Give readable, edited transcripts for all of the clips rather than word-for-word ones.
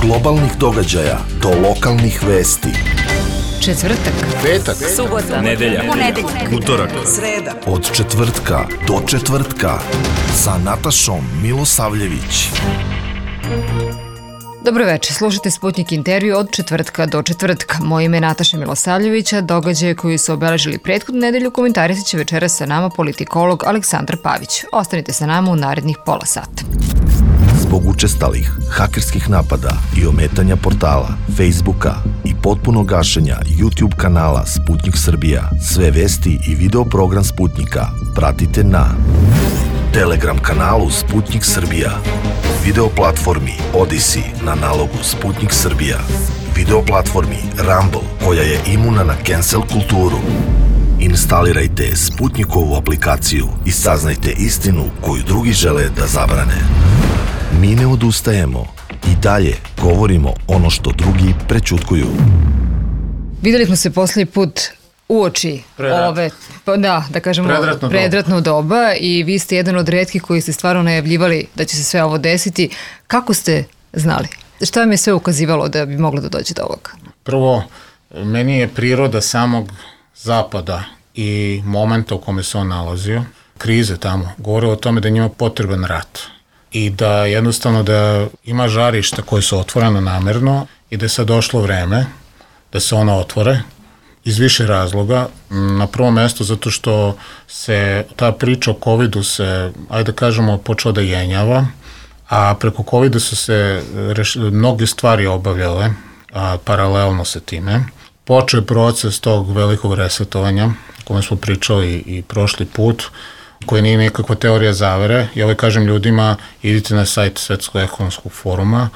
globalnih događaja do lokalnih vesti. Četvrtak, petak, subota, nedelja, utorak, sreda. Od četvrtka do četvrtka sa Natašom Milosavljević. Dobro večer, slušajte Sputnik intervju od četvrtka do četvrtka. Moje ime je Nataša Milosavljevića. Događaje koji su obeležili prethodnu nedelju komentarisat će večeras sa nama politikolog Aleksandar Pavić. Ostanite sa nama u narednih pola sata. Zbog učestalih hakerskih napada i ometanja portala, Facebooka i potpunog gašenja YouTube kanala Sputnik Srbija, sve vesti i video program Sputnika pratite na Telegram kanalu Sputnik Srbija, video platformi Odyssey na nalogu Sputnik Srbija, video platformi Rumble koja je imuna na cancel kulturu. Instalirajte Sputnikovu aplikaciju i saznajte istinu koju drugi žele da zabrane. Mi ne odustajemo i dalje govorimo ono što drugi prećutkuju. Videli smo se posljednji put uoči ove, da kažemo, predratno doba i vi ste jedan od retkih koji ste stvarno najavljivali da će se sve ovo desiti. Kako ste znali? Šta vam je sve ukazivalo da bi moglo da dođe do ovoga? Prvo, meni je priroda samog zapada i momenta u kome se on nalazio, krize tamo, govore o tome da njima potreban rat i da jednostavno da ima žarišta koje su otvorena namerno i da je sad došlo vreme da se ona otvore iz više razloga. Na prvom mestu zato što se ta priča o covidu se, ajde da kažemo, počela da jenjava, a preko covida su se mnoge stvari obavljale paralelno sa time. Počeo je proces tog velikog resetovanja o kome smo pričali i prošli put, koji nije nekakva teorija zavere. I ovaj kažem ljudima, idite na sajt Svetskog ekonomskog foruma,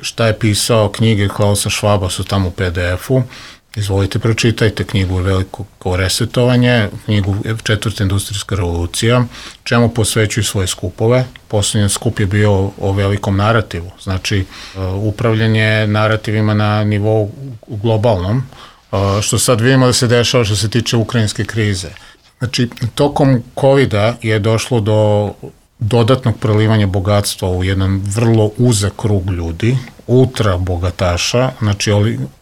šta je pisao, knjige Klausa Švaba su tamo u PDF-u, izvolite, pročitajte knjigu Veliko resetovanje, knjigu Četvrta industrijska revolucija, čemu posvećuju svoje skupove. Poslednji skup je bio o velikom narativu, znači upravljanje narativima na nivou globalnom, što sad vidimo da se dešava što se tiče ukrajinske krize. Znači, tokom covida je došlo do dodatnog prelivanja bogatstva u jedan vrlo uzak krug ljudi, ultra bogataša, znači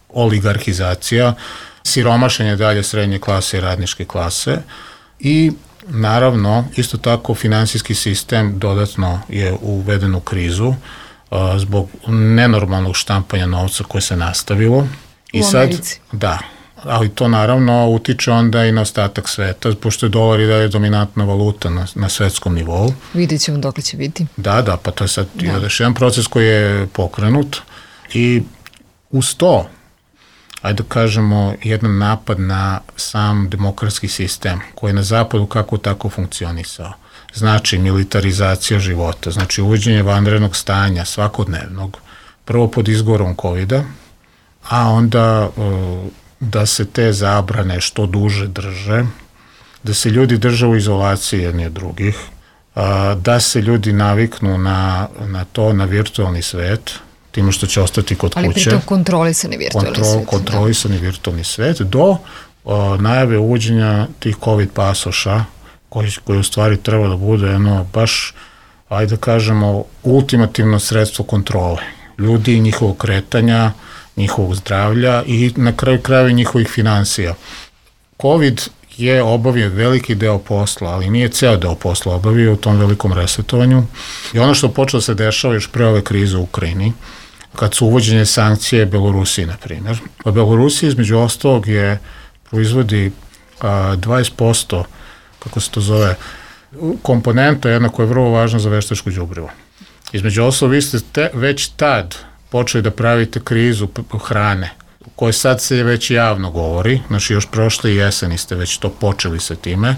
oligarhizacija, siromašenje dalje srednje klase i radničke klase i naravno isto tako finansijski sistem dodatno je uveden u krizu zbog nenormalnog štampanja novca koje se nastavilo. U Americi. Da, ali to naravno utiče onda i na ostatak sveta, pošto je dolar i dalje dominantna valuta na svetskom nivou. Vidjet ćemo dok će biti. Da, pa to je sad još jedan proces koji je pokrenut i uz to, ajde da kažemo, jedan napad na sam demokratski sistem koji je na zapadu kako tako funkcionisao. Znači militarizacija života, znači uvođenje vanrednog stanja svakodnevnog, prvo pod izgovorom covida, a onda da se te zabrane što duže drže, da se ljudi drže u izolaciji jedni od drugih, da se ljudi naviknu na to, na virtualni svet, time što će ostati kod kuće. Ali pritom kontrolisani virtualni svet. Kontrolisani virtualni svet do najave uvođenja tih COVID pasoša, koji u stvari treba da bude baš, ajde da kažemo, ultimativno sredstvo kontrole ljudi, njihovog kretanja, njihovog zdravlja i na kraju krajeva njihovih finansija. COVID je obavio veliki deo posla, ali nije ceo deo posla obavio u tom velikom resetovanju. I ono što počelo se dešava još pre ove krize u Ukrajini, kad su uvođenje sankcije Belorusiji, na primjer. Pa Belorusija, između ostalog, proizvodi 20%, kako se to zove, komponenta jedna koja je vrlo važna za veštačko đubrivo. Između ostalog, vi ste već tad počeli da pravite krizu hrane, o kojoj sad se već javno govori, znači još prošle jeseni ste već to počeli sa time.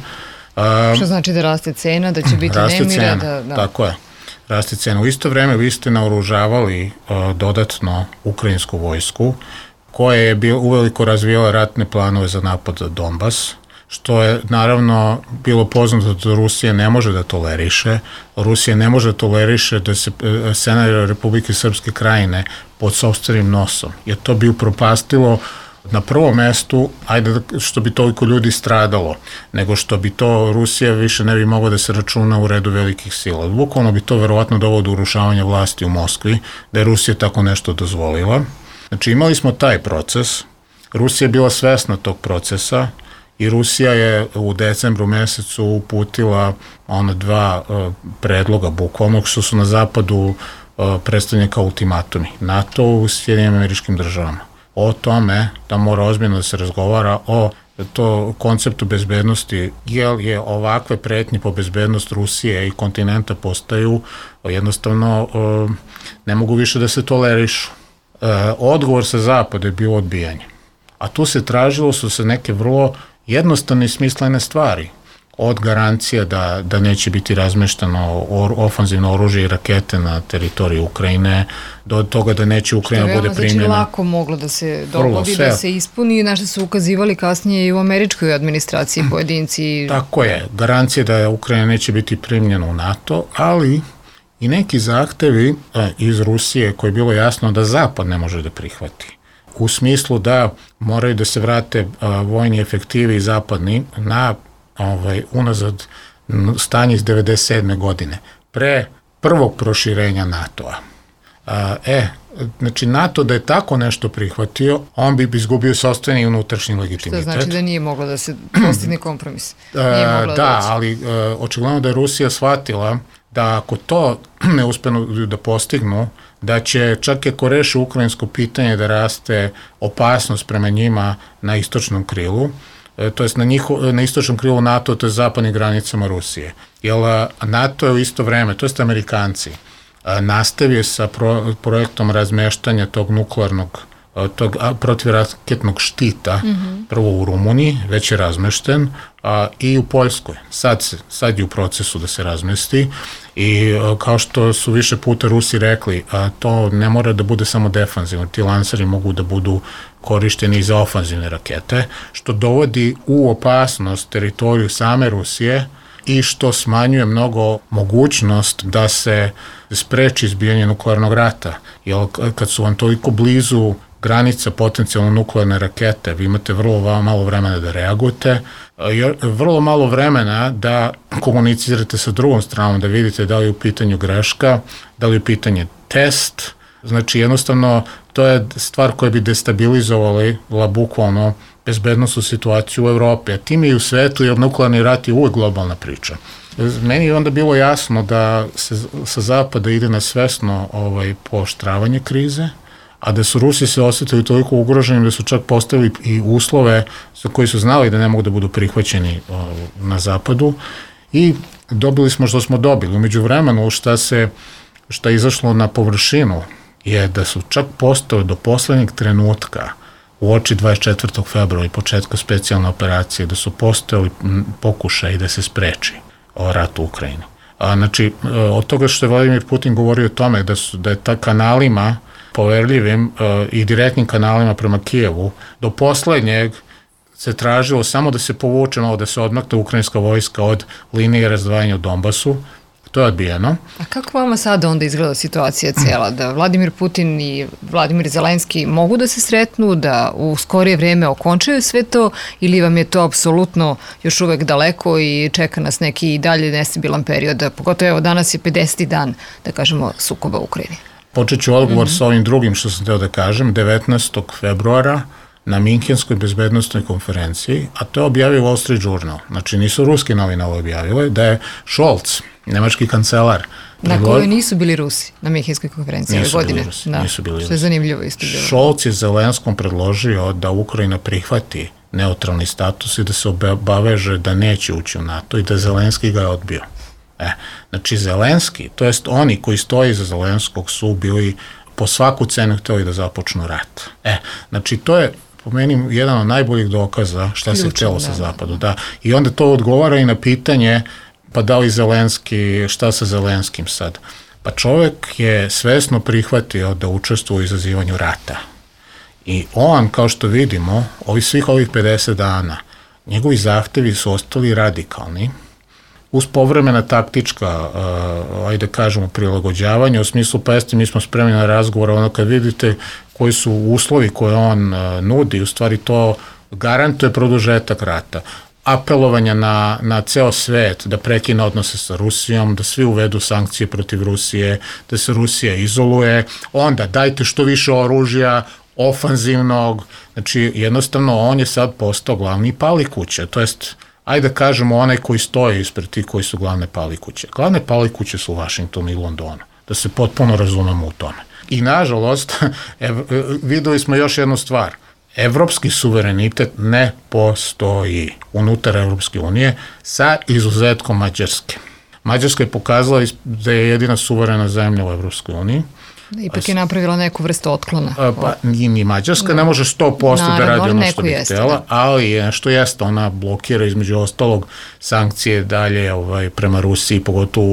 Što znači da raste cena, da će biti nemira? Tako je, raste cena. U isto vreme vi ste naoružavali dodatno ukrajinsku vojsku, koja je uveliko razvijala ratne planove za napad na Donbas, što je naravno bilo poznato da Rusija ne može da toleriše. Rusija ne može da toleriše da se scenario Republike Srpske Krajine pod sopstvenim nosom, jer to bi upropastilo na prvom mestu, ajde što bi toliko ljudi stradalo, nego što bi to Rusija više ne bi mogla da se računa u redu velikih sila. Bukvalno bi to verovatno dovelo do urušavanja vlasti u Moskvi, da je Rusija tako nešto dozvolila. Znači imali smo taj proces, Rusija je bila svesna tog procesa i Rusija je u decembru mesecu uputila dva predloga bukvalno što su na zapadu predstavljeni kao ultimatumi. NATO u Sjedinjenim Američkim Državama. O tome da mora ozbiljno da se razgovara o to konceptu bezbednosti, jer je ovakve pretnje po bezbednost Rusije i kontinenta postaju jednostavno ne mogu više da se tolerišu. Odgovor sa zapada je bilo odbijanje. A tu se tražilo su se neke vrlo jednostavne i smislene stvari. Od garancija da neće biti razmešteno ofanzivno oružje i rakete na teritoriji Ukrajine, do toga da neće Ukrajina bude primljena. Što je veoma lako moglo da se dogodi, da se ispuni, na što su ukazivali kasnije i u američkoj administraciji pojedinci. Tako je, garancija da Ukrajina neće biti primljena u NATO, ali i neki zahtevi iz Rusije koje je bilo jasno da Zapad ne može da prihvati. U smislu da moraju da se vrate vojni efektivi zapadni na unazad stanje iz 1997. godine, pre prvog proširenja NATO-a. Znači NATO da je tako nešto prihvatio, on bi izgubio sopstveni i unutrašnji legitimitet. Što znači da nije moglo da se postigne kompromis. Ali očigledno da je Rusija shvatila da ako to ne uspenu da postignu, da će čak i ako reše ukrajinsko pitanje da raste opasnost prema njima na istočnom krilu, to jest na istočnom krilu NATO, to je zapadnim granicama Rusije. Jer NATO je u isto vreme, to jest Amerikanci, nastavio sa projektom razmeštanja tog nuklearnog, tog protivraketnog štita, prvo u Rumuniji, već je razmešten, i u Poljskoj. Sad je u procesu da se razmesti i kao što su više puta Rusi rekli, to ne mora da bude samo defanzivno, ti lanseri mogu da budu korišteni i za ofanzivne rakete, što dovodi u opasnost teritoriju same Rusije i što smanjuje mnogo mogućnost da se spreči izbijanje nuklearnog rata. Jer kad su vam toliko blizu granica potencijalno nuklearne rakete, vi imate vrlo malo vremena da reagujete, vrlo malo vremena da komunicirate sa drugom stranom, da vidite da li je u pitanju greška, da li je u pitanju test. Znači jednostavno to je stvar koja bi destabilizovala bukvalno bezbednosnu situaciju u Evropi, a tim i u svetu, jer nuklearni rat je uvek globalna priča. Meni je onda bilo jasno da se sa zapada ide na svesno pooštravanje krize, a da su Rusi se osjetili toliko ugroženi da su čak postavili i uslove za koji su znali da ne mogu da budu prihvaćeni na zapadu i dobili smo što smo dobili. Umeđu vremenu šta je izašlo na površinu je da su čak postali do poslednjeg trenutka u oči 24. februara i početka specijalne operacije, da su postojali pokušaj da se spreči rat u Ukrajini. Znači, od toga što je Vladimir Putin govorio o tome da je ta kanalima poverljivim i direktnim kanalima prema Kijevu, do poslednjeg se tražilo samo da se povuče malo, da se odmakne ukrajinska vojska od linije razdvajanja u Donbasu. To je odbijeno. A kako vama sada onda izgleda situacija cijela? Da Vladimir Putin i Vladimir Zelenski mogu da se sretnu, da u skorije vreme okončaju sve to, ili vam je to apsolutno još uvek daleko i čeka nas neki i dalje nestabilan period? Pogotovo evo danas je 50. dan, da kažemo, sukoba u Ukrajini. Počet ću odgovor sa ovim drugim što sam teo da kažem. 19. februara na Minhenskoj bezbednostnoj konferenciji, a to je objavio Wall Street Journal, znači nisu ruski novine ovo objavile, da je Scholz, nemački kancelar. Na kojoj nisu bili Rusi na Minhenskoj konferenciji ove godine. Nisu bili Rusi. Što je zanimljivo isto bilo. Scholz je Zelenskom predložio da Ukrajina prihvati neutralni status i da se obaveže da neće ući u NATO i da Zelenski ga je odbio. Znači Zelenski, to jest oni koji stoji iza Zelenskog su bili po svaku cenu htjeli da započnu rat. Znači to je po meni jedan od najboljih dokaza šta se htjelo sa zapadu. Da. I onda to odgovara i na pitanje pa da li Zelenski, šta sa Zelenskim sad? Pa čovjek je svesno prihvatio da učestvuje u izazivanju rata. I on, kao što vidimo, svih ovih 50 dana, njegovi zahtevi su ostali radikalni, uz povremena taktička, ajde kažemo, prilagođavanja, u smislu, pa jeste, mi smo spremni na razgovor, ono kad vidite koji su uslovi koje on nudi, u stvari to garantuje produžetak rata. Apelovanja na ceo svet da prekine odnose sa Rusijom, da svi uvedu sankcije protiv Rusije, da se Rusija izoluje, onda dajte što više oružja, ofanzivnog, znači jednostavno on je sad postao glavni palikuće, to jest, ajde da kažemo onaj koji stoji ispred tih koji su glavne palikuće. Glavne palikuće su u Vašingtonu i Londonu, da se potpuno razumemo u tome. I nažalost, videli smo još jednu stvar, evropski suverenitet ne postoji unutar Evropske unije sa izuzetkom Mađarske. Mađarska je pokazala da je jedina suverena zemlja u Evropskoj uniji. Ipak je napravila neku vrstu otklona. Pa ni Mađarska ne može 100% da radi ono što bi htjela, ali nešto jeste, ona blokira između ostalog sankcije dalje prema Rusiji, pogotovo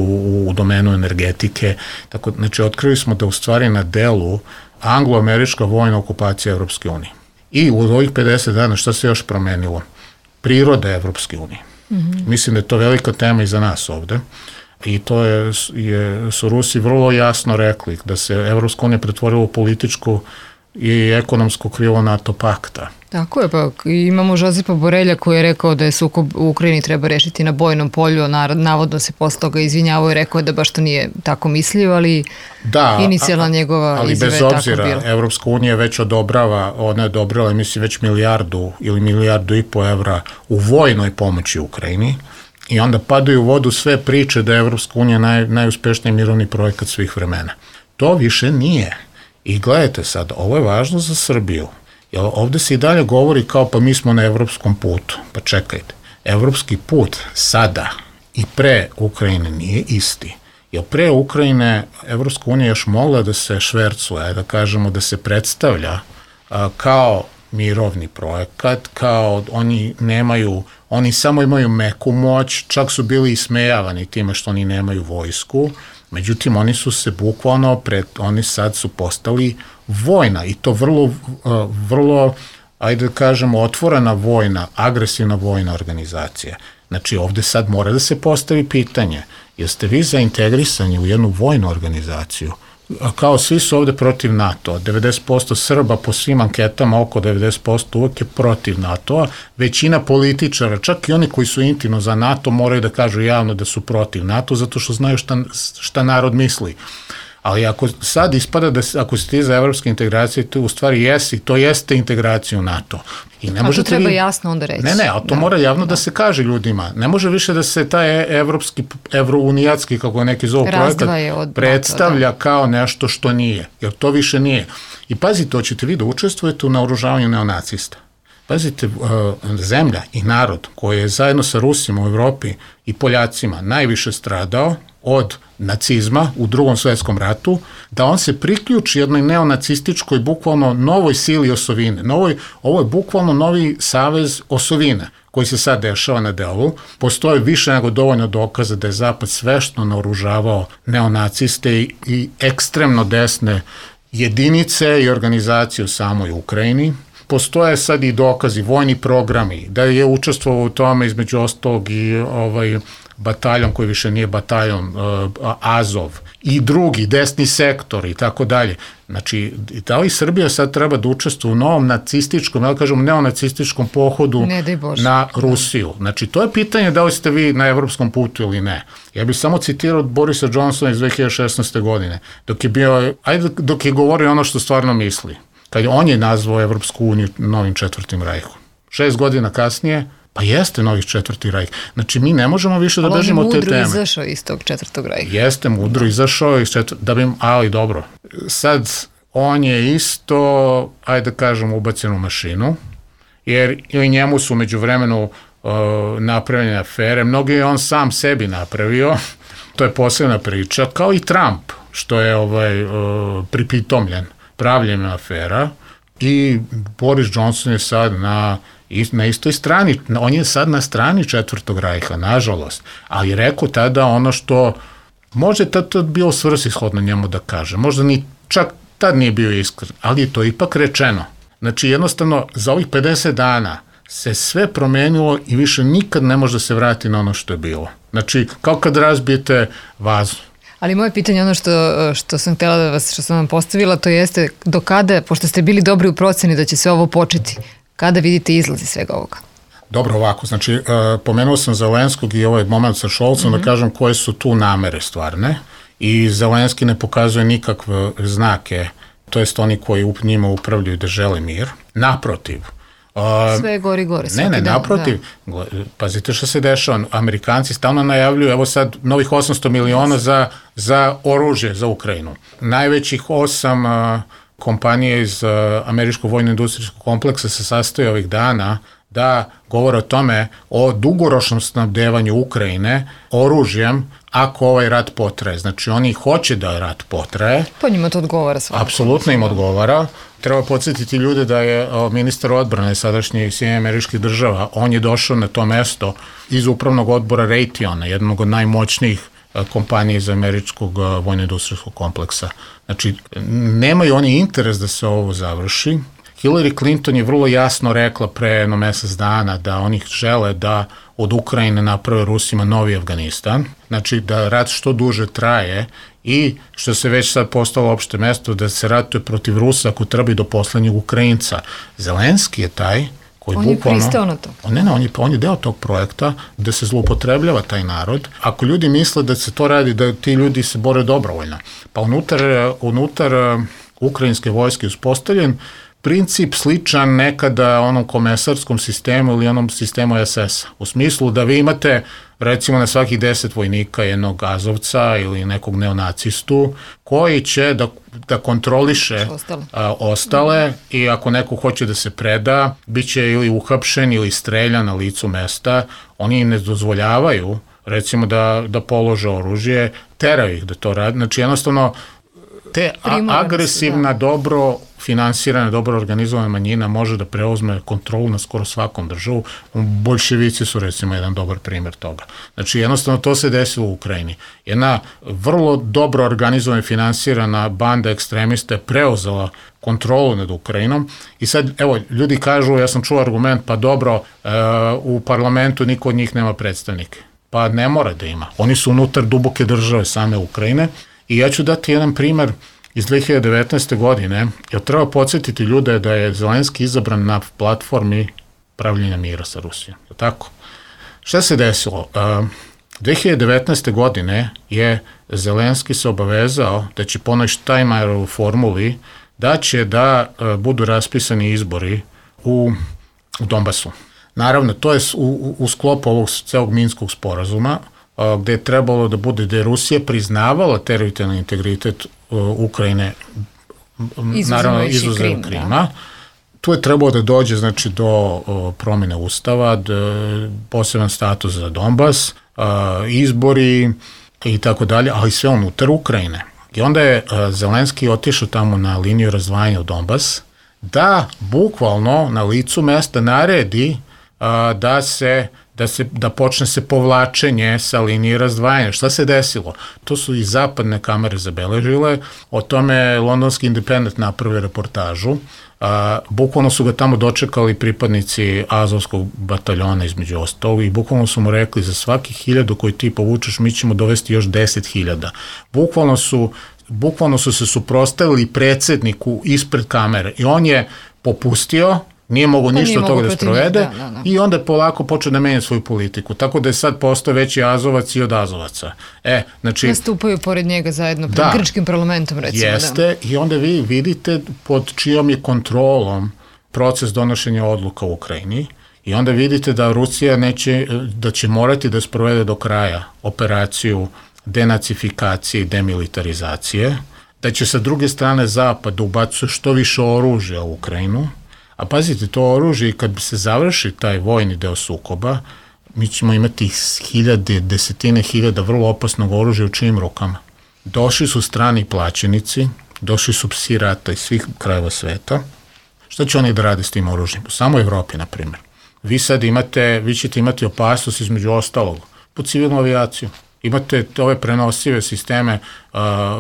u domenu energetike. Tako, znači, otkrili smo da u stvari na delu anglo-američka vojna okupacija Evropske unije. I u ovih 50 dana šta se još promenilo? Priroda Evropske unije. Mislim da je to velika tema i za nas ovde. I to su Rusi vrlo jasno rekli da se Evropska unija pretvorila u političku i ekonomsko krilo NATO pakta. Tako je, pa imamo Žozepa Borelja koji je rekao da je sukob u Ukrajini treba rešiti na bojnom polju, navodno se posle toga izvinjavao i rekao da baš to nije tako mislio, ali inicijalna njegova izjava je tako bila. Ali bez obzira, Evropska unija već odobrava, ona je odobrala, mislim, već milijardu ili milijardu i po evra u vojnoj pomoći Ukrajini. I onda padaju u vodu sve priče da je Evropska unija najuspešniji mirovni projekat svih vremena. To više nije. I gledajte sad, ovo je važno za Srbiju. Jer ovde se i dalje govori kao pa mi smo na evropskom putu. Pa čekajte, evropski put sada i pre Ukrajine nije isti. Jer pre Ukrajine Evropska unija još mogla da se švercuje, da kažemo da se predstavlja kao mirovni projekat, kao oni samo imaju meku moć, čak su bili ismejavani time što oni nemaju vojsku, međutim oni su se bukvalno, oni sad su postali vojna i to vrlo, ajde da kažemo, otvorena vojna, agresivna vojna organizacija. Znači ovde sad mora da se postavi pitanje, jeste vi zaintegrisani u jednu vojnu organizaciju? Kao svi su ovde protiv NATO-a, 90% Srba po svim anketama, oko 90% uvek je protiv NATO-a, većina političara, čak i oni koji su intimno za NATO, moraju da kažu javno da su protiv NATO, zato što znaju šta narod misli. Ali ako sad ispada da ako si ti za evropske integracije, to u stvari jesi, to jeste integracija u NATO. I ne a to treba jasno onda reći. Ne, a to mora javno da se kaže ljudima. Ne može više da se taj evropski, evrounijatski, kako neki zovu projekat, predstavlja kao nešto što nije. Jer to više nije. I pazite, hoćete vi da učestvujete u naoružavanju neonacista. Pazite, zemlja i narod koji je zajedno sa Rusima u Evropi i Poljacima najviše stradao od nacizma u Drugom svetskom ratu, da on se priključi jednoj neonacističkoj, bukvalno novoj sili osovine. Ovo je bukvalno novi savez osovine koji se sad dešava na delu. Postoje više nego dovoljno dokaza da je Zapad sveštno naoružavao neonaciste i ekstremno desne jedinice i organizacije u samoj Ukrajini. Postoje sad i dokazi, vojni programi, da je učestvovao u tome između ostalog i bataljon koji više nije bataljon, Azov i drugi, desni sektor i tako dalje. Znači, da li Srbija sad treba da učestvuje u novom nacističkom, ja kažem neonacističkom pohodu na Rusiju? Znači, to je pitanje da li ste vi na evropskom putu ili ne. Ja bih samo citirao Borisa Johnsona iz 2016. godine, dok je govorio ono što stvarno misli. Kad on je nazvao Evropsku uniju novim četvrtim rajhom. 6 godina kasnije, pa jeste novi četvrti rajh. Znači, mi ne možemo više da bežimo od te teme. Ali on je mudro izašao iz tog četvrtog rajha. Jeste mudro izašao iz ali dobro. Sad, on je isto, ajde da kažem, ubačen u mašinu, jer i njemu su među vremenu napravljene afere. Mnogi je on sam sebi napravio, to je posebna priča, kao i Trump, što je pripitomljen pravljenjem afera, i Boris Johnson je sad na istoj strani, on je sad na strani četvrtog rajha, nažalost, ali rekao tada ono što možda je to bilo svrsishodno njemu da kaže, možda ni čak tad nije bio iskren, ali je to ipak rečeno. Znači jednostavno za ovih 50 dana se sve promenilo i više nikad ne može da se vrati na ono što je bilo. Znači kao kad razbijete vazu. Ali moje pitanje, ono što sam htjela da što sam vam postavila, to jeste do kada, pošto ste bili dobri u proceni da će sve ovo početi, kada vidite izlazi svega ovoga? Dobro, ovako, znači, pomenuo sam Zelenskog i ovaj moment sa Šolcom, da kažem koje su tu namere stvarne, i Zelenski ne pokazuje nikakve znake, to jest oni koji njima upravljaju da žele mir. Naprotiv. Sve je gori. Ne, naprotiv. Da. Pazite što se dešava. Amerikanci stalno najavljuju, evo sad, novih 800 miliona za oružje za Ukrajinu. Najvećih 8 kompanija iz američkog vojno-industrijskog kompleksa se sastoji ovih dana da govore o tome, o dugoročnom snabdevanju Ukrajine oružjem ako ovaj rat potraje. Znači, oni hoće da rat potraje. Pa njima to odgovara svakako. Apsolutno im odgovara. Treba podsjetiti ljude da je ministar odbrane sadašnjih Sjedinjenih Američkih Država, on je došao na to mesto iz upravnog odbora Raytheona, jednog od najmoćnijih kompanije iz američkog vojno-industrijskog kompleksa. Znači, nemaju oni interes da se ovo završi. Hillary Clinton je vrlo jasno rekla pre jedno mesec dana da oni žele da od Ukrajine naprave Rusima novi Afganistan, znači da rat što duže traje i što se već sad postalo opšte mesto da se ratuje protiv Rusa ako treba i do poslednjeg Ukrajinca. Zelenski je taj koji on bukvalno... On je pristao na to. On je deo tog projekta da se zloupotrebljava taj narod. Ako ljudi misle da se to radi, da ti ljudi se bore dobrovoljno, pa unutar ukrajinske vojske uspostavljen princip sličan nekada onom komesarskom sistemu ili onom sistemu SS-a. U smislu da vi imate recimo na svakih 10 vojnika jednog azovca ili nekog neonacistu koji će da kontroliše ostale i ako neko hoće da se preda, bit će ili uhapšen ili streljan na licu mesta. Oni ne dozvoljavaju recimo da polože oružje, teraju ih da to radi. Znači jednostavno te agresivna, dobro finansirana, dobro organizovana manjina može da preuzme kontrolu na skoro svakom državu. Boljševici su recimo jedan dobar primjer toga. Znači jednostavno to se desilo u Ukrajini. Jedna vrlo dobro organizovana i finansirana banda ekstremista je preuzela kontrolu nad Ukrajinom i sad, evo, ljudi kažu, ja sam čuo argument, pa dobro, u parlamentu niko od njih nema predstavnike. Pa ne mora da ima. Oni su unutar duboke države same Ukrajine. I ja ću dati jedan primer iz 2019. godine, jer treba podsjetiti ljude da je Zelenski izabran na platformi pravljenja mira sa Rusijom. Je tako? Šta se desilo? 2019. godine je Zelenski se obavezao da će po onoj Steinmeierovoj formuli da će da budu raspisani izbori u Donbasu. Naravno, to je u sklopu ovog celog Minskog sporazuma, gde je trebalo da bude, da je Rusija priznavala teritorijalni integritet Ukrajine, naravno izuzev Krima. Tu je trebalo da dođe znači, do promjene ustava, poseban status za Donbas, izbori i tako dalje, ali sve unutar Ukrajine. I onda je Zelenski otišao tamo na liniju razdvajanja u Donbas, da bukvalno na licu mesta naredi da počne se povlačenje sa linije razdvajanja. Šta se desilo? To su i zapadne kamere zabeležile, o tome Londonski Independent napravio reportažu. Bukvalno su ga tamo dočekali pripadnici Azovskog bataljona između ostalog i bukvalno su mu rekli za svaki 1000 koji ti povučeš mi ćemo dovesti još 10.000. Bukvalno su se suprotstavili predsjedniku ispred kamere i on je popustio, nije mogo ništa od toga da sprovede i onda je polako počeo da menja svoju politiku. Tako da je sad postao veći Azovac i od Azovaca. Znači, nastupaju pored njega zajedno pred grčkim parlamentom, recimo. Jeste, i onda vi vidite pod čijom je kontrolom proces donošenja odluka u Ukrajini i onda vidite da Rusija da će morati da sprovede do kraja operaciju denacifikacije i demilitarizacije, da će sa druge strane Zapad da ubacuje što više oružja u Ukrajinu. A pazite, to oružje, kad bi se završi taj vojni deo sukoba, mi ćemo imati desetine hiljada vrlo opasnog oružja u čijim rukama. Došli su strani plaćenici, došli su psi rata iz svih krajeva sveta. Šta će oni da rade s tim oružjem? U samoj Evropi, na primjer. Vi ćete imati opasnost između ostalog po civilnu avijaciju. Imate ove prenosive sisteme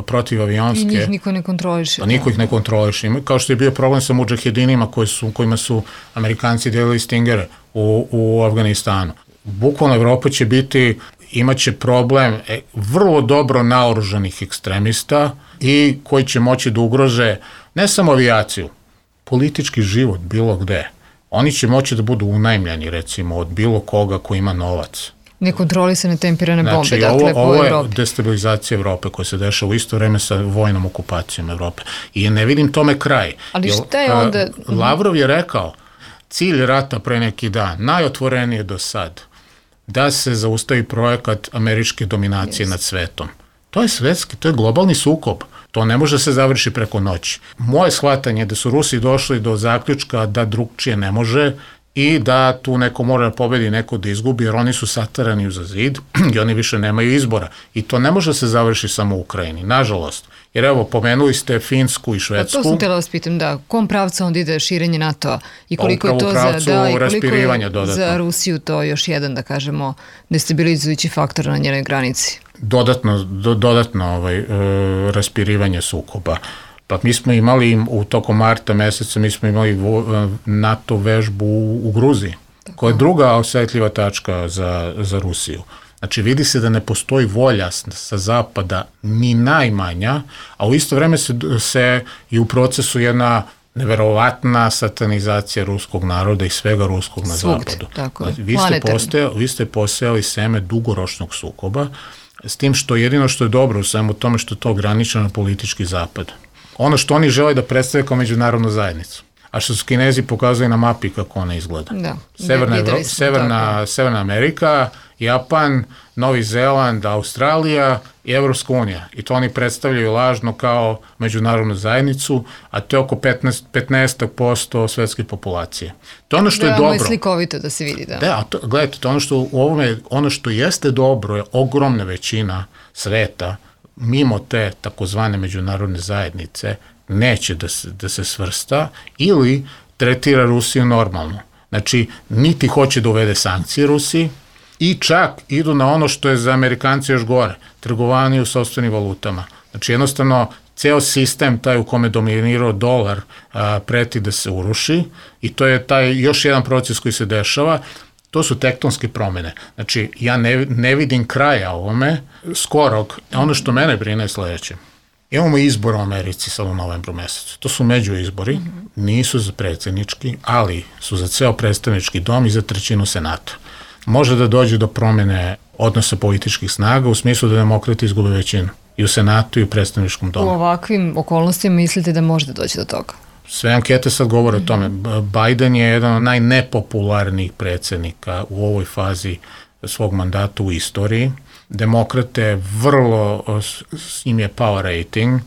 protivavionske. I njih niko ne kontroliše. Niko ih ne kontroliše. Kao što je bio problem sa mudžahedinima kojima su Amerikanci delili stingere u Afganistanu. Bukvalno Evropa će biti imaće problem vrlo dobro naoružanih ekstremista i koji će moći da ugrože ne samo avijaciju, politički život bilo gde. Oni će moći da budu unajmljeni, recimo, od bilo koga ko ima novac. Nekontrolisane tempirane bombe, znači, dakle, po Evropi. Ovo je destabilizacija Evrope koja se dešava u isto vreme sa vojnom okupacijom Evrope. I ne vidim tome kraj. Ali šta je onda... Lavrov je rekao, cilj rata pre neki dan, najotvorenije do sad, da se zaustavi projekat američke dominacije nad svetom. To je svetski, to je globalni sukob. To ne može se završiti preko noći. Moje shvatanje je da su Rusi došli do zaključka da drugčije ne može i da tu neko mora da pobedi, neko da izgubi, jer oni su satarani uza zid i oni više nemaju izbora. I to ne može se završiti samo u Ukrajini, nažalost. Jer evo, pomenuli ste Finsku i Švedsku. To sam htjela vas pitam, da, kom pravcu onda ide širenje NATO-a i koliko je to za Rusiju to još jedan, da kažemo, destabilizujući faktor na njenoj granici? Dodatno raspirivanje sukoba. Pa mi smo imali u tokom marta meseca, mi smo imali NATO vežbu u Gruziji, koja je druga osetljiva tačka za Rusiju. Znači, vidi se da ne postoji volja sa zapada ni najmanja, a u isto vreme se i u procesu jedna neverovatna satanizacija ruskog naroda i svega ruskog na zapadu. Vi ste posejali seme dugoročnog sukoba, s tim što jedino što je dobro u svemu tome što je to ograničeno na politički zapad. Ono što oni žele da predstave kao međunarodnu zajednicu. A što su Kinezi pokazali na mapi kako ona izgleda. Da, Severna Amerika, Japan, Novi Zeland, Australija i Evropska unija. I to oni predstavljaju lažno kao međunarodnu zajednicu, a to je oko 15% svetske populacije. To je ono što je dobro. Veoma je slikovito da se vidi, da. Da, gledajte, to ono što jeste dobro je ogromna većina sveta, mimo te takozvane međunarodne zajednice, neće da se svrsta ili tretira Rusiju normalno. Znači, niti hoće da uvede sankcije Rusiji i čak idu na ono što je za Amerikanci još gore, trgovanje u sopstvenim valutama. Znači, jednostavno, ceo sistem, taj u kome dominirao dolar, preti da se uruši i to je taj još jedan proces koji se dešava. To su tektonske promene. Znači, ja ne vidim kraja ovome, skorog. Ono što mene brine je sledeće. Imamo izbor u Americi sad u novembru mesecu. To su međuizbori, nisu za predsjednički, ali su za ceo predstavnički dom i za trećinu senata. Može da dođe do promene odnosa političkih snaga u smislu da demokrati izgube većinu i u senatu i u predstavničkom domu. U ovakvim okolnostima mislite da može da dođe do toga? Sve ankete sad govore o tome. Biden je jedan od najnepopularnijih predsjednika u ovoj fazi svog mandata u istoriji. Demokrate vrlo, s njim je power rating.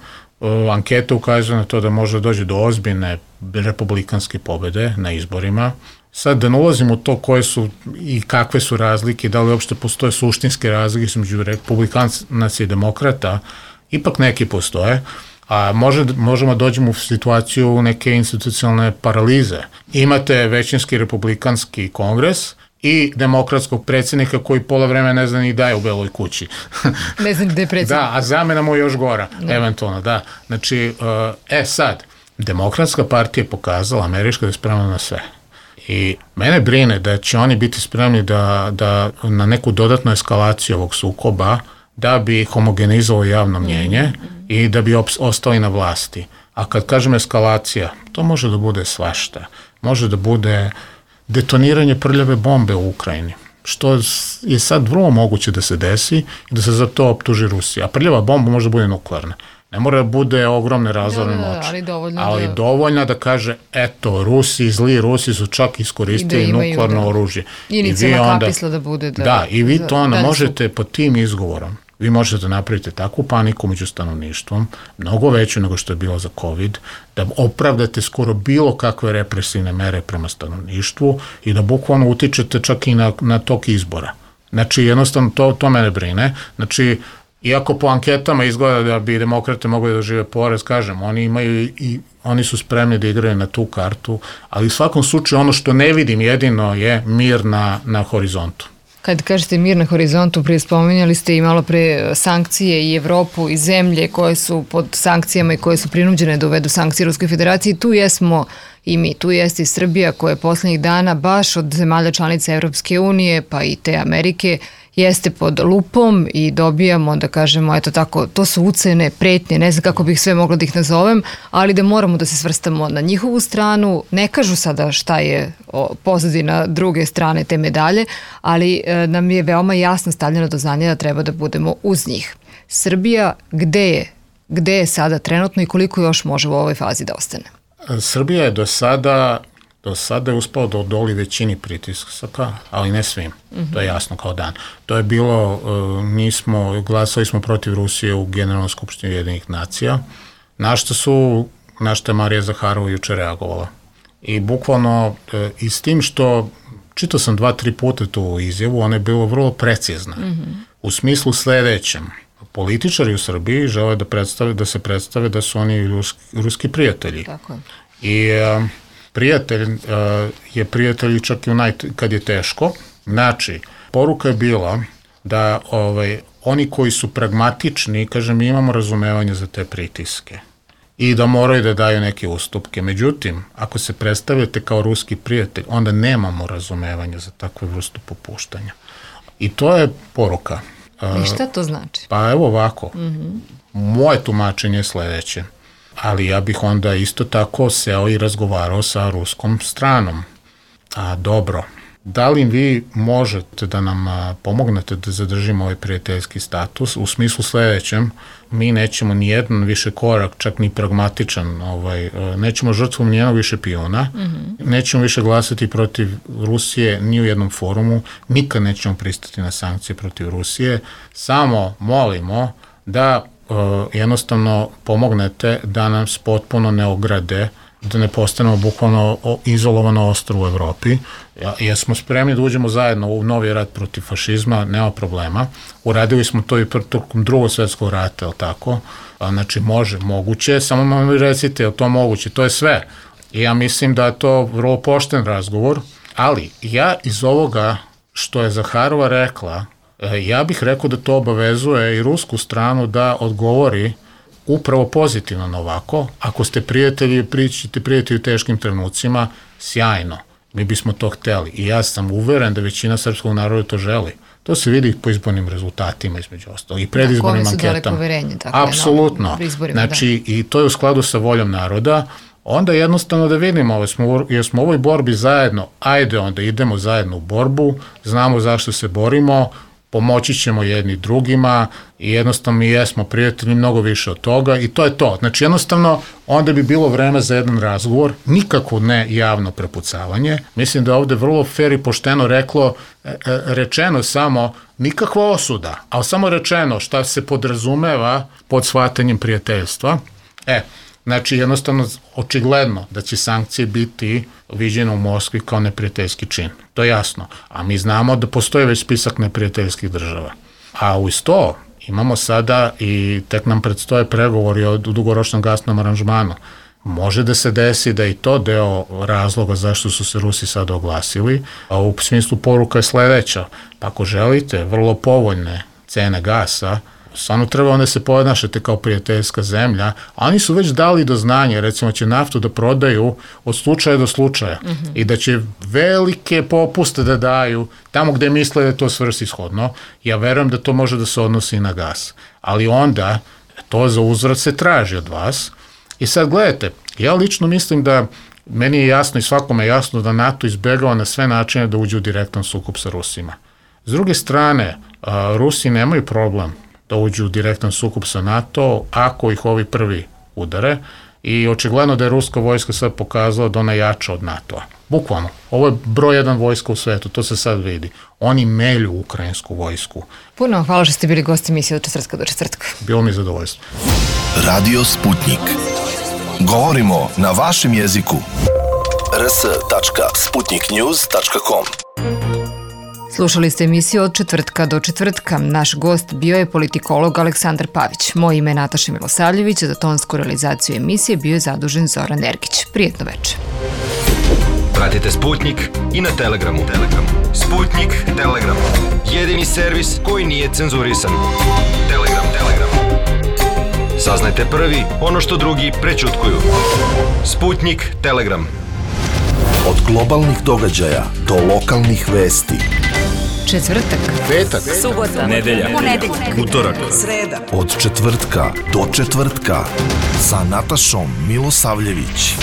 Ankete ukazuju na to da može doći do ozbiljne republikanske pobede na izborima. Sad da ne ulazim u to koje su i kakve su razlike, da li uopšte postoje suštinske razlike između republikanaca i demokrata, ipak neki postoje. A možemo dođemo u situaciju neke institucionalne paralize. Imate većinski republikanski kongres i demokratskog predsjednika koji pola vremena ne zna ni da je u Beloj kući. Ne znam gde je predsjednik. Da, a zamena mu je još gora, eventualno, da. Znači, sad, demokratska partija je pokazala, američka, da je spremna na sve. I mene brine da će oni biti spremni da na neku dodatnu eskalaciju ovog sukoba, da bi homogenizovalo javno mnjenje i da bi ostali na vlasti. A kad kažem eskalacija, to može da bude svašta. Može da bude detoniranje prljave bombe u Ukrajini, što je sad vrlo moguće da se desi i da se za to optuži Rusija. A prljava bomba može da bude nuklearna. Ne mora da bude ogromne razorne moći, ali dovoljna da kaže, eto, zli Rusi su čak iskoristili nuklearno oružje. Inicijalna kapisla da bude. Da, i vi to možete pod tim izgovorom, vi možete da napravite takvu paniku među stanovništvom, mnogo veću nego što je bilo za COVID, da opravdate skoro bilo kakve represivne mere prema stanovništvu i da bukvalno utičete čak i na tok izbora. Znači, jednostavno, to mene brine. Znači, iako po anketama izgleda da bi demokrate mogli da žive porez, kažem, oni su spremni da igraju na tu kartu, ali u svakom slučaju ono što ne vidim jedino je mir na horizontu. Kad kažete mir na horizontu, prije spominjali ste i malo pre sankcije i Evropu i zemlje koje su pod sankcijama i koje su prinuđene da uvedu sankcije Ruskoj federaciji. Tu jesmo i mi, tu jeste i Srbija koja je poslednjih dana baš od zemalja članica Evropske unije pa i te Amerike jeste pod lupom i dobijamo, da kažemo, eto tako, to su ucene, pretnje, ne znam kako bih sve mogla da ih nazovem, ali da moramo da se svrstamo na njihovu stranu. Ne kažu sada šta je pozadina druge strane te medalje, ali nam je veoma jasno stavljeno do znanja da treba da budemo uz njih. Srbija, gde je sada trenutno i koliko još može u ovoj fazi da ostane? Srbija je do sada je uspela da odoli većini pritisaka, ali ne svim. To je jasno kao dan. To je bilo, glasali smo protiv Rusije u Generalnoj skupštini Ujedinjenih nacija, na što je Marija Zaharova juče reagovala. I bukvalno, i s tim što, čitao sam 2-3 puta tu izjavu, ona je bila vrlo precizna. U smislu sledećem, političari u Srbiji žele da se predstave da su oni ruski prijatelji. Tako je. I prijatelj je prijatelj čak i kad je teško. Znači, poruka je bila da oni koji su pragmatični, kažem, mi imamo razumevanje za te pritiske i da moraju da daju neke ustupke. Međutim, ako se predstavljate kao ruski prijatelj, onda nemamo razumevanja za takvu vrstu popuštanja. I to je poruka. I šta to znači? Pa evo ovako, moje tumačenje je sledeće, ali ja bih onda isto tako seo i razgovarao sa ruskom stranom. Dobro, da li vi možete da nam pomognete da zadržimo ovaj prijateljski status? U smislu sledećem, mi nećemo ni jedan više korak, čak ni pragmatičan, nećemo žrtvom ni jednog više pijuna, nećemo više glasati protiv Rusije ni u jednom forumu, nikad nećemo pristati na sankcije protiv Rusije, samo molimo da jednostavno pomognete da nas potpuno ne ograde, da ne postanemo bukvalno izolovano ostrvo u Evropi. Jesmo spremni da uđemo zajedno u novi rat protiv fašizma, nema problema. Uradili smo to i tokom Drugog svjetskog rata, ali tako? Znači, moguće, samo mi recite, je li to moguće? To je sve. I ja mislim da je to vrlo pošten razgovor, ali ja iz ovoga što je Zaharova rekla, ja bih rekao da to obavezuje i rusku stranu da odgovori upravo pozitivno na ovako. Ako ste prijatelji, pričate prijatelji u teškim trenucima, sjajno, mi bismo to hteli. I ja sam uveren da većina srpskog naroda to želi. To se vidi po izbornim rezultatima, između ostalog, i predizbornim anketama. Apsolutno. Znači, i to je u skladu sa voljom naroda. Onda jednostavno da vidimo, jer smo u ovoj borbi zajedno, ajde onda idemo zajedno u borbu, znamo zašto se borimo, pomoći ćemo jedni drugima i jednostavno mi jesmo prijatelji, mnogo više od toga i to je to. Znači jednostavno onda bi bilo vreme za jedan razgovor, nikako ne javno prepucavanje. Mislim da je ovde vrlo fair i pošteno rečeno samo nikakva osuda, ali samo rečeno šta se podrazumeva pod shvatanjem prijateljstva. Znači, jednostavno, očigledno da će sankcije biti viđene u Moskvi kao neprijateljski čin. To je jasno. A mi znamo da postoji već spisak neprijateljskih država. A uz to imamo sada i tek nam predstoje pregovori o dugoročnom gasnom aranžmanu. Može da se desi da i to deo razloga zašto su se Rusi sada oglasili, a u smislu poruka je sledeća. Ako želite vrlo povoljne cene gasa, stvarno treba onda se ponašate kao prijateljska zemlja, a oni su već dali do znanja, recimo će naftu da prodaju od slučaja do slučaja i da će velike popuste da daju tamo gde misle da je to svrsishodno. Ja verujem da to može da se odnosi i na gas, ali onda to za uzvrat se traži od vas. I sad gledajte, ja lično mislim da meni je jasno i svakome je jasno da NATO izbegava na sve načine da uđe u direktan sukob sa Rusima. S druge strane, Rusi nemaju problem da uđu u direktan sukob sa NATO ako ih ovi prvi udare i očigledno da je ruska vojska sad pokazala da ona jača od NATO-a. Bukvalno, ovo je broj 1 vojska u svetu, to se sad vidi. Oni melju ukrajinsku vojsku. Puno hvala što ste bili gosti emisije od četvrtka do četvrtka. Bilo mi zadovoljstvo. Radio Sputnik. Govorimo na vašem jeziku. rs.sputniknews.com. Slušali ste emisiju od četvrtka do četvrtka. Naš gost bio je politikolog Aleksandar Pavić. Moje ime je Nataša Milosavljević, za tonsku realizaciju emisije bio je zadužen Zoran Ergić. Prijetno večer. Pratite Sputnik i na Telegramu. Sputnik Telegram. Jedini servis koji nije cenzurisan. Telegram. Saznajte prvi ono što drugi prećutkuju. Sputnik Telegram. Od globalnih događaja do lokalnih vesti. četvrtak, petak, subota, nedelja, ponedeljak, utorak, sreda. Od četvrtka do četvrtka sa Natašom Milosavljević.